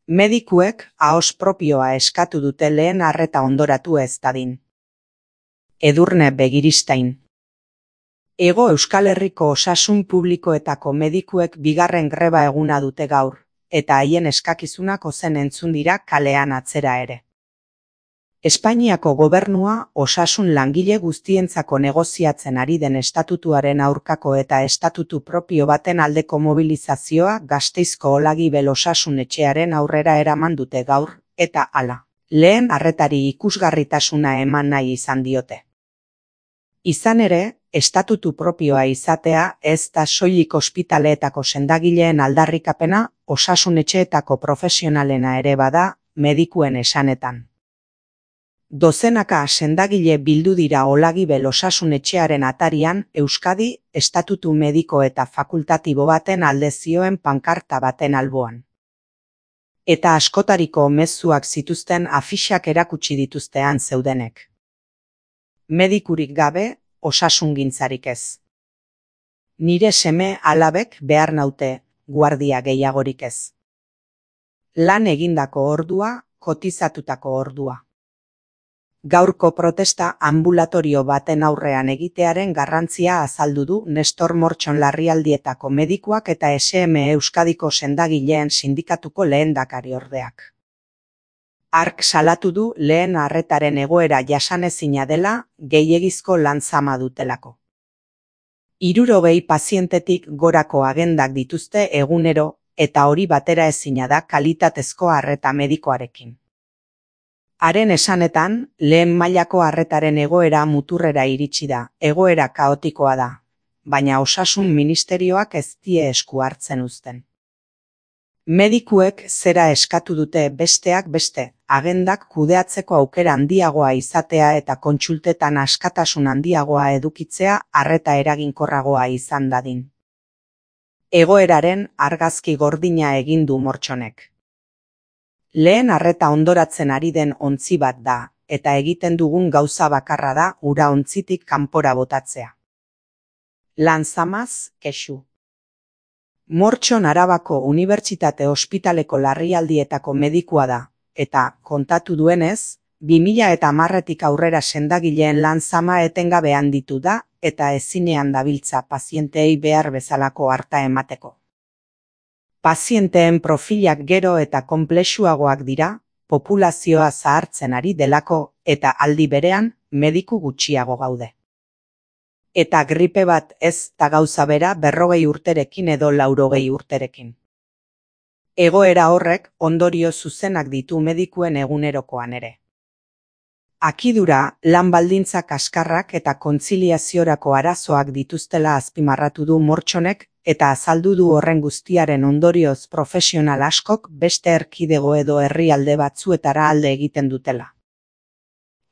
Medikuek ahoz propioa eskatu dute lehen arreta ondoratu ez dadin. Edurne Begiristain. Hego Euskal Herriko osasun publikoetako medikuek bigarren greba eguna dute gaur, eta haien eskakizunak ozen entzun dira kalean atzera ere. Espainiako gobernua osasun langile guztientzako negoziatzen ari den estatutuaren aurkako eta estatutu propio baten aldeko mobilizazioa Gasteizko Olagibel osasun etxearen aurrera eraman dute gaur, eta hala, lehen arretari ikusgarritasuna eman nahi izan diote. Izan ere, estatutu propioa izatea ez da soilik ospitaleetako sendagileen aldarrikapena, osasun etxeetako profesionalena ere bada, medikuen esanetan. Dozenaka sendagile bildu dira Olagibel osasun etxearen atarian Euskadi estatutu mediko eta fakultatibo baten alde zioen pankarta baten alboan. Eta askotariko mezuak zituzten afixak erakutsi dituztean zeudenek. Medikurik gabe, osasungintzarik ez. Nire seme alabek behar naute, guardia gehiagorik ez. Lan egindako ordua, kotizatutako ordua. Gaurko protesta ambulatorio baten aurrean egitearen garrantzia azaldu du Nestor Mortxon larrialdietako medikuak eta SM Euskadiko sendagileen sindikatuko lehendakariordeak. Hark salatu du lehen arretaren egoera jasanezina dela, gehiegizko lan zama dutelako. 60 pazientetik gorako agendak dituzte egunero, eta hori batera ezina da kalitatezko arreta medikoarekin. Haren esanetan, lehen mailako arretaren egoera muturrera iritsi da, egoera kaotikoa da, baina osasun ministerioak ez die esku hartzen uzten. Medikuek zera eskatu dute besteak beste, agendak kudeatzeko aukera handiagoa izatea eta kontsultetan askatasun handiagoa edukitzea arreta eraginkorragoa izan dadin. Egoeraren argazki gordina egin du Mortxonek. Lehen arreta ondoratzen ari den ontzi bat da, eta egiten dugun gauza bakarra da ura ontzitik kanpora botatzea. Lan zamaz, kexu. Mortxon Arabako Unibertsitate Ospitaleko larrialdietako medikua da, eta, kontatu duenez, 2010etik aurrera sendagileen lan zama etengabe handitu da, eta ezinean dabiltza pazienteei behar bezalako harta emateko. Pazienteen profilak gero eta konplexuagoak dira, populazioa zahartzen ari delako eta aldi berean mediku gutxiago gaude. Eta gripe bat ez da gauza bera 40 urterekin edo 80 urterekin. Egoera horrek ondorio zuzenak ditu medikuen egunerokoan ere. Akidura, lan baldintza kaskarrak eta kontziliaziorako arazoak dituztela azpimarratu du Mortxonek eta azaldu du horren guztiaren ondorioz profesional askok beste erkidego edo herrialde batzuetara alde egiten dutela.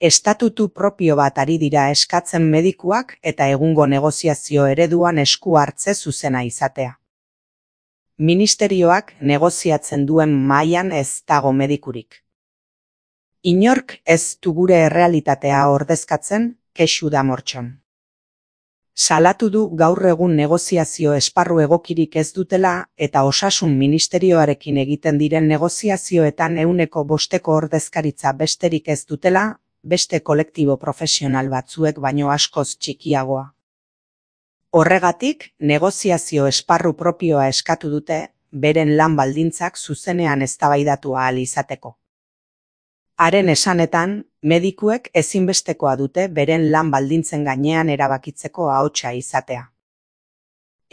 Estatutu propio bat ari dira eskatzen medikuak eta egungo negoziazio ereduan esku hartze zuzena izatea. Ministerioak negoziatzen duen mailan ez dago medikurik. Inork ez du gure errealitatea ordezkatzen, kexu da Mortxon. Salatu du gaur egun negoziazio esparru egokirik ez dutela eta osasun ministerioarekin egiten diren negoziazioetan 5% ordezkaritza besterik ez dutela, beste kolektibo profesional batzuek baino askoz txikiagoa. Horregatik, negoziazio esparru propioa eskatu dute, beren lan baldintzak zuzenean eztabaidatu ahal izateko. Haren esanetan, medikuek ezinbestekoa dute beren lan baldintzen gainean erabakitzeko ahotsa izatea.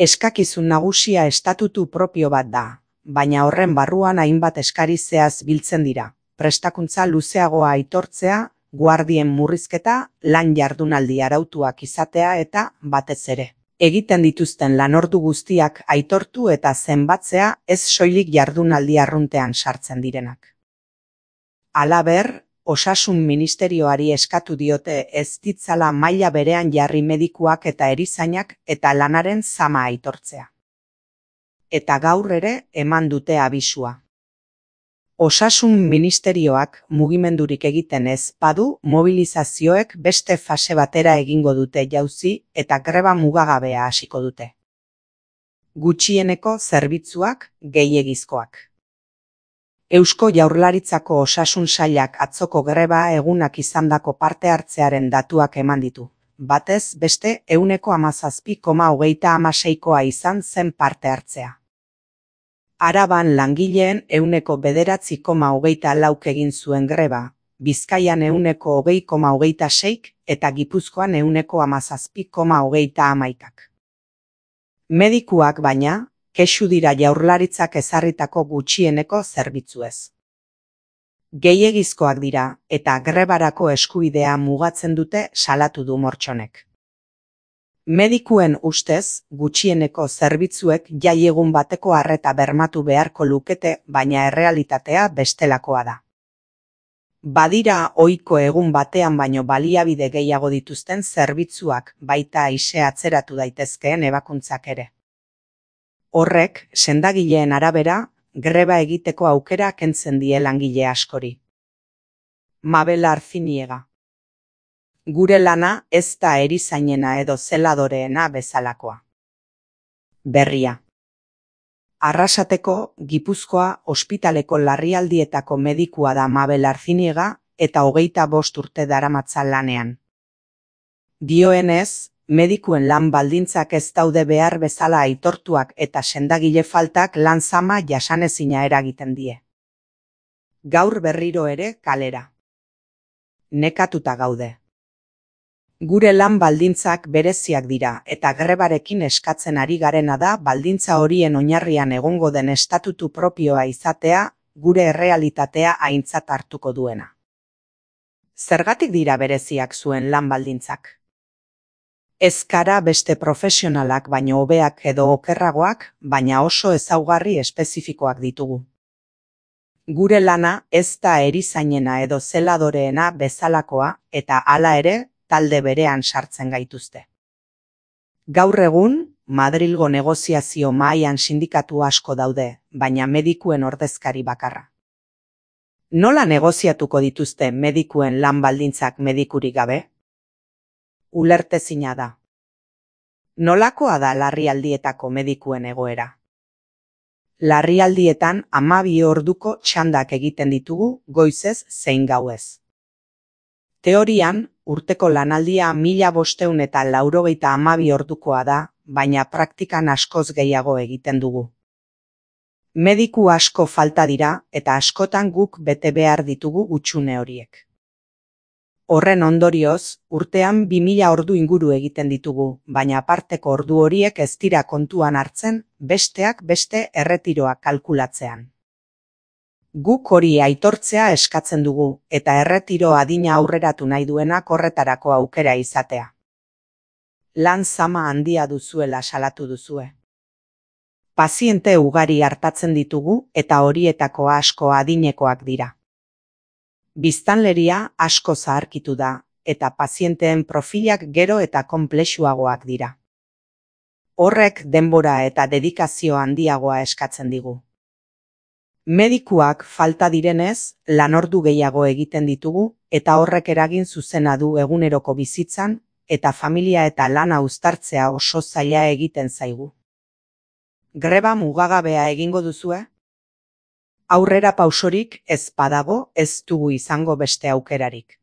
Eskakizun nagusia estatutu propio bat da, baina horren barruan hainbat eskari zehaz biltzen dira, prestakuntza luzeagoa aitortzea, guardien murrizketa, lan jardunaldi arautuak izatea eta, batez ere, egiten dituzten lanordu guztiak aitortu eta zenbatzea ez soilik jardunaldi arruntean sartzen direnak. Halaber, osasun ministerioari eskatu diote ez ditzala maila berean jarri medikuak eta erizainak eta lanaren zama aitortzea. Eta gaur ere eman dute abisua. Osasun ministerioak mugimendurik egiten ez badu mobilizazioek beste fase batera egingo dute jauzi eta greba mugagabea hasiko dute. Gutxieneko zerbitzuak gehiegizkoak. Eusko Jaurlaritzako Osasun Sailak atzoko greba egunak izandako parte hartzearen datuak eman ditu. Batez beste 17,36koa izan zen parte hartzea. Araban langileen 9,924 egin zuen greba, Bizkaian 20,26 eta Gipuzkoan 17,31. Medikuak baina, kexu dira Jaurlaritzak ezarritako gutxieneko zerbitzuez. Gehiegizkoak dira eta grebarako eskubidea mugatzen dute salatu du Mortxonek. Medikuen ustez, gutxieneko zerbitzuek jai egun bateko arreta bermatu beharko lukete, baina errealitatea bestelakoa da. Badira ohiko egun batean baino baliabide gehiago dituzten zerbitzuak, baita aise atzeratu daitezkeen ebakuntzak ere. Horrek, sendagileen arabera, greba egiteko aukera kentzen die langile askori. Mabel Artziniega. Gure lana ez da erizainena edo zeladoreena bezalakoa. Berria. Arrasateko, Gipuzkoa ospitaleko larrialdietako medikua da Mabel Artziniega eta 25 urte daramatza lanean. Dioenez, medikuen lan baldintzak ez daude behar bezala aitortuak eta sendagile faltak lan zama jasanezina eragiten die. Gaur berriro ere kalera. Nekatuta gaude. Gure lan baldintzak bereziak dira eta grebarekin eskatzen ari garena da baldintza horien oinarrian egongo den estatutu propioa izatea, gure errealitatea aintzat hartuko duena. Zergatik dira bereziak zuen lan baldintzak? Ez gara beste profesionalak baino hobeak edo okerragoak, baina oso ezaugarri espezifikoak ditugu. Gure lana ez da erizainena edo zeladoreena bezalakoa eta hala ere, talde berean sartzen gaituzte. Gaur egun, Madrilgo negoziazio mahaian sindikatu asko daude, baina medikuen ordezkari bakarra. Nola negoziatuko dituzte medikuen lan baldintzak medikurik gabe? Ulertezina da. Nolakoa da larrialdietako medikuen egoera? Larrialdietan 12 orduko txandak egiten ditugu goizez zein gauez. Teorian, urteko lanaldia 1592 ordukoa da, baina praktikan askoz gehiago egiten dugu. Mediku asko falta dira eta askotan guk bete behar ditugu hutsune horiek. Horren ondorioz, urtean 2000 ordu inguru egiten ditugu, baina aparteko ordu horiek ez dira kontuan hartzen, besteak beste erretiroa kalkulatzean. Guk hori aitortzea eskatzen dugu eta erretiro adina aurreratu nahi duenak horretarako aukera izatea. Lan zama handia duzuela salatu duzue. Paziente ugari hartatzen ditugu eta horietako asko adinekoak dira. Biztanleria asko zaharkitu da eta pazienteen profilak gero eta konplexuagoak dira. Horrek denbora eta dedikazio handiagoa eskatzen digu. Medikuak falta direnez, lanordu gehiago egiten ditugu eta horrek eragin zuzena du eguneroko bizitzan eta familia eta lana uztartzea oso zaila egiten zaigu. Greba mugagabea egingo duzue? Aurrera pausorik ez badago ez dugu izango beste aukerarik.